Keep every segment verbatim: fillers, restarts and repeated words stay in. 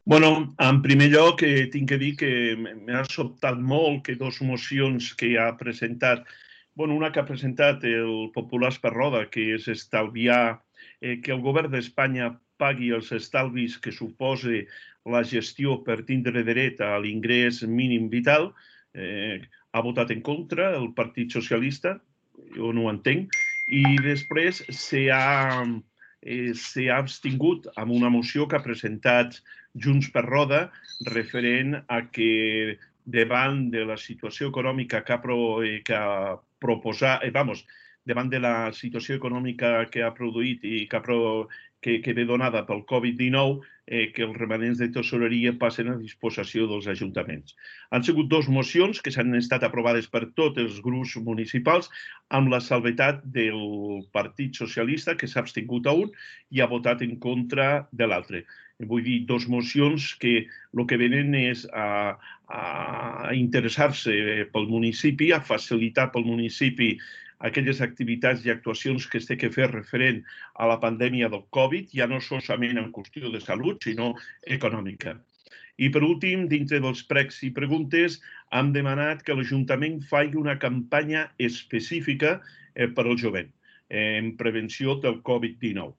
Bueno, en primer lloc, eh, tinc que dir que m'ha sobtat molt que dos mocions que ha presentat, bueno, una que ha presentat el Populars per Roda, que és estalviar, eh, que el govern d'Espanya pagui els estalvis que suposa la gestió per tindre dret a l'ingrés mínim vital, eh, ha votat en contra el Partit Socialista, jo no ho entenc, i després s'ha eh, s'ha abstingut amb una moció que ha presentat Junts per Roda, referent a que davant de la situació econòmica que ha, pro, eh, que ha proposat, eh, vamos, davant de la situació econòmica que ha produït i que, ha pro, que, que ve donada pel Covid dinou, eh, que els remanents de tesoreria passen a disposició dels ajuntaments. Han sigut dues mocions que s'han estat aprovades per tots els grups municipals amb la salvetat del Partit Socialista, que s'ha abstingut a un i ha votat en contra de l'altre. Vull dir, dos mocions que el que venen és a, a interessar-se pel municipi, a facilitar pel municipi aquelles activitats i actuacions que es té que fer referent a la pandèmia del Covid, ja no solament en qüestió de salut, sinó econòmica. I per últim, dintre dels pregs i preguntes, hem demanat que l'Ajuntament faci una campanya específica eh, per al jovent en prevenció del Covid dinou.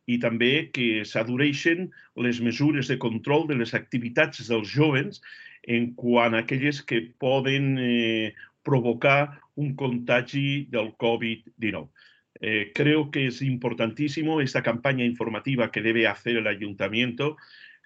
I també que s'adureixen les mesures de control de les activitats dels jovens en quant a aquelles que poden eh, provocar un contagi del Covid dinou. Eh, creo que es importantísimo esta campaña informativa que debe hacer el ayuntamiento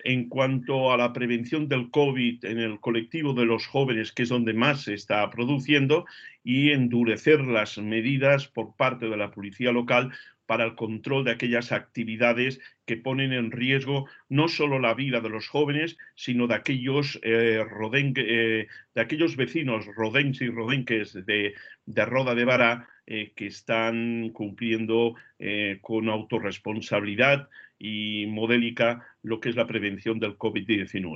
en cuanto a la prevención del COVID en el colectivo de los jóvenes, que es donde más se está produciendo, y endurecer las medidas por parte de la policía local para el control de aquellas actividades que ponen en riesgo no solo la vida de los jóvenes, sino de aquellos, eh, rodenque, eh, de aquellos vecinos rodenques y rodenques de, de Roda de Bará eh, que están cumpliendo eh, con autorresponsabilidad y modélica lo que es la prevención del Covid diecinueve.